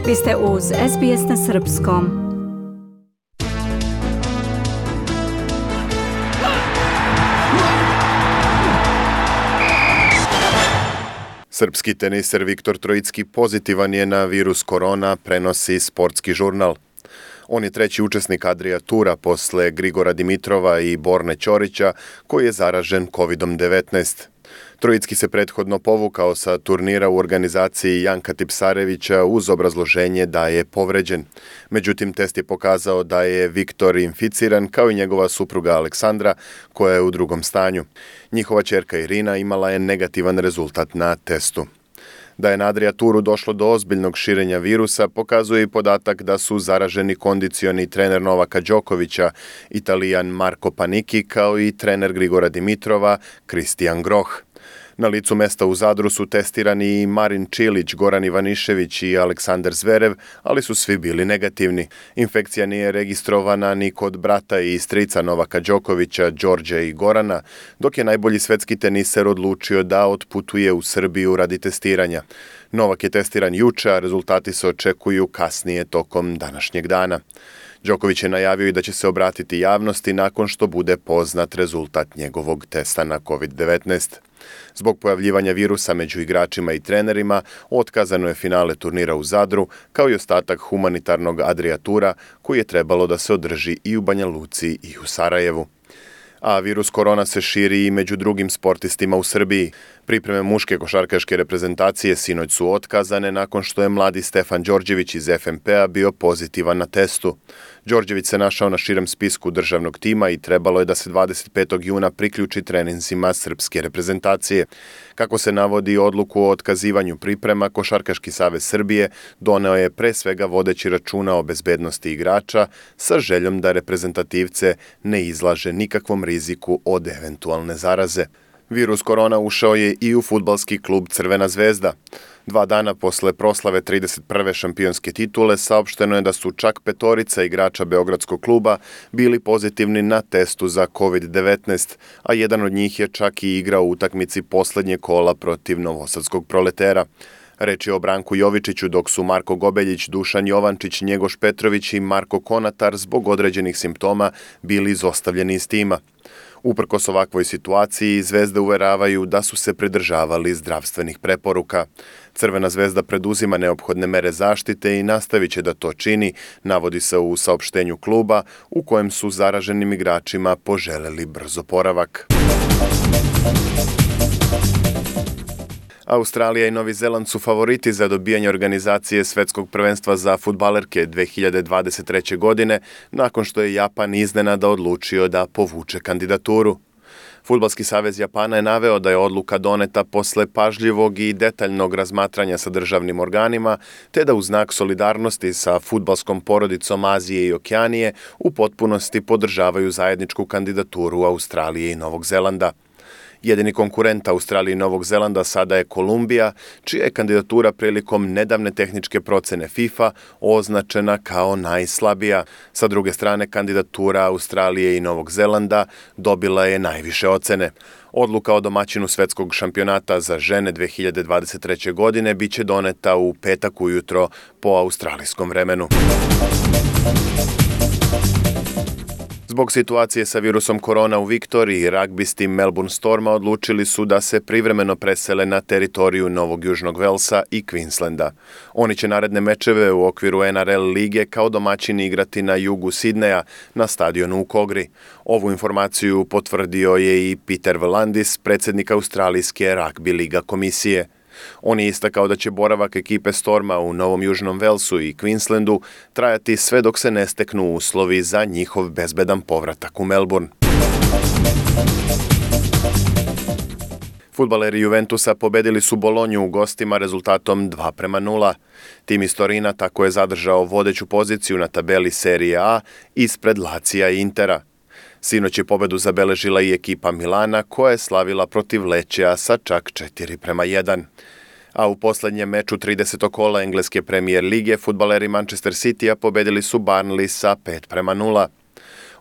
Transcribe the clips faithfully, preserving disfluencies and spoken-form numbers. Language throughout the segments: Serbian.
Vi ste uz S B S na srpskom. Srpski teniser Viktor Trojicki pozitivan je na virus korona, prenosi Sportski žurnal. On je treći učesnik Adria Tura posle Grigora Dimitrova i Borne Ćorića, koji je zaražen kovid devetnaest. Trojicki se prethodno povukao sa turnira u organizaciji Janka Tipsarevića uz obrazloženje da je povređen. Međutim, test je pokazao da je Viktor inficiran, kao i njegova supruga Aleksandra, koja je u drugom stanju. Njihova ćerka Irina imala je negativan rezultat na testu. Da je na Adria Turu došlo do ozbiljnog širenja virusa pokazuje i podatak da su zaraženi kondicioni trener Novaka Đokovića, Italijan Marko Panicki, kao i trener Grigora Dimitrova, Kristijan Groh. Na licu mesta u Zadru su testirani i Marin Čilić, Goran Ivanišević i Aleksandar Zverev, ali su svi bili negativni. Infekcija nije registrovana ni kod brata i strica Novaka Đokovića, Đorđa i Gorana, dok je najbolji svetski teniser odlučio da otputuje u Srbiju radi testiranja. Novak je testiran juče, a rezultati se očekuju kasnije tokom današnjeg dana. Đoković je najavio i da će se obratiti javnosti nakon što bude poznat rezultat njegovog testa na kovid devetnaest. Zbog pojavljivanja virusa među igračima i trenerima, otkazano je finale turnira u Zadru, kao i ostatak humanitarnog Adria Tura, koji je trebalo da se održi i u Banja Luci i u Sarajevu. A virus korona se širi i među drugim sportistima u Srbiji. Pripreme muške košarkaške reprezentacije sinoć su otkazane nakon što je mladi Stefan Đorđević iz F M P-a bio pozitivan na testu. Đorđević se našao na širem spisku državnog tima i trebalo je da se dvadeset petog juna priključi treninzima srpske reprezentacije. Kako se navodi, odluku o otkazivanju priprema, Košarkaški savez Srbije doneo je pre svega vodeći računa o bezbednosti igrača sa željom da reprezentativce ne izlaže nikakvom riziku od eventualne zaraze. Virus korona ušao je i u fudbalski klub Crvena zvezda. Dva dana posle proslave trideset prve šampionske titule saopšteno je da su čak petorica igrača Beogradskog kluba bili pozitivni na testu za kovid devetnaest, a jedan od njih je čak i igrao u utakmici poslednje kola protiv Novosadskog Proletera. Reč je o Branku Jovičiću, dok su Marko Gobeljić, Dušan Jovančić, Njegoš Petrović i Marko Konatar zbog određenih simptoma bili izostavljeni iz tima. Uprkos ovakvoj situaciji, Zvezde uveravaju da su se pridržavali zdravstvenih preporuka. Crvena zvezda preduzima neophodne mere zaštite i nastavit će da to čini, navodi se u saopštenju kluba, u kojem su zaraženim igračima poželeli brz oporavak. Australija i Novi Zeland su favoriti za dobijanje organizacije svetskog prvenstva za fudbalerke dve hiljade dvadeset treće. godine, nakon što je Japan iznenada odlučio da povuče kandidaturu. Fudbalski savez Japana je naveo da je odluka doneta posle pažljivog i detaljnog razmatranja sa državnim organima, te da u znak solidarnosti sa fudbalskom porodicom Azije i Okeanije u potpunosti podržavaju zajedničku kandidaturu Australije i Novog Zelanda. Jedini konkurent Australije i Novog Zelanda sada je Kolumbija, čija je kandidatura prilikom nedavne tehničke procene FIFA označena kao najslabija. Sa druge strane, kandidatura Australije i Novog Zelanda dobila je najviše ocene. Odluka o domaćinu svetskog šampionata za žene dve hiljade dvadeset treće. godine biće doneta u petak ujutro po australijskom vremenu. Zbog situacije sa virusom korona u Viktoriji, ragbisti Melbourne Storma odlučili su da se privremeno presele na teritoriju Novog Južnog Velsa i Queenslanda. Oni će naredne mečeve u okviru N R L lige kao domaćini igrati na jugu Sidneja na stadionu u Kogri. Ovu informaciju potvrdio je i Peter V'landis, predsjednik Australijske ragbi liga komisije. On je istakao da će boravak ekipe Storma u Novom Južnom Velsu i Queenslandu trajati sve dok se ne steknu uslovi za njihov bezbedan povratak u Melbourne. Fudbaleri Juventusa pobedili su Bolonju u gostima rezultatom dva prema nula. Tim iz Torina tako je zadržao vodeću poziciju na tabeli Serije A ispred Lacija i Intera. Sinoć je pobedu zabeležila i ekipa Milana, koja je slavila protiv Lečea sa čak četiri prema jedan. A u poslednjem meču tridesetog kola engleske premijer lige fudbaleri Manchester Citya pobedili su Burnley sa pet prema nula.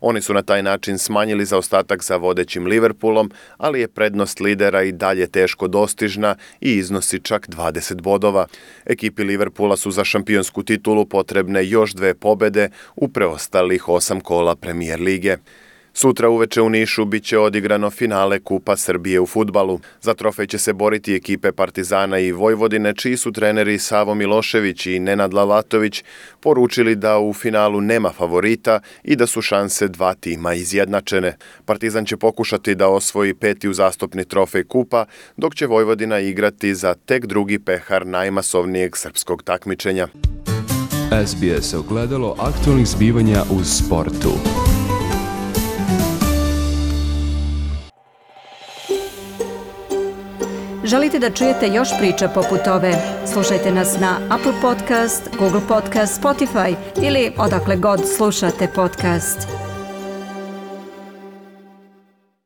Oni su na taj način smanjili zaostatak za vodećim Liverpoolom, ali je prednost lidera i dalje teško dostižna i iznosi čak dvadeset bodova. Ekipi Liverpoola su za šampionsku titulu potrebne još dve pobede u preostalih osam kola Premijer lige. Sutra uveče u Nišu bit će odigrano finale Kupa Srbije u fudbalu. Za trofej će se boriti ekipe Partizana i Vojvodine, čiji su treneri Savo Milošević i Nenad Lalatović poručili da u finalu nema favorita i da su šanse dva tima izjednačene. Partizan će pokušati da osvoji peti uzastopni trofej Kupa, dok će Vojvodina igrati za tek drugi pehar najmasovnijeg srpskog takmičenja. S B S ogledalo aktualnih zbivanja u sportu. Želite da čujete još priča poput ove? Slušajte nas na Apple Podcast, Google Podcast, Spotify ili odakle god slušate podcast.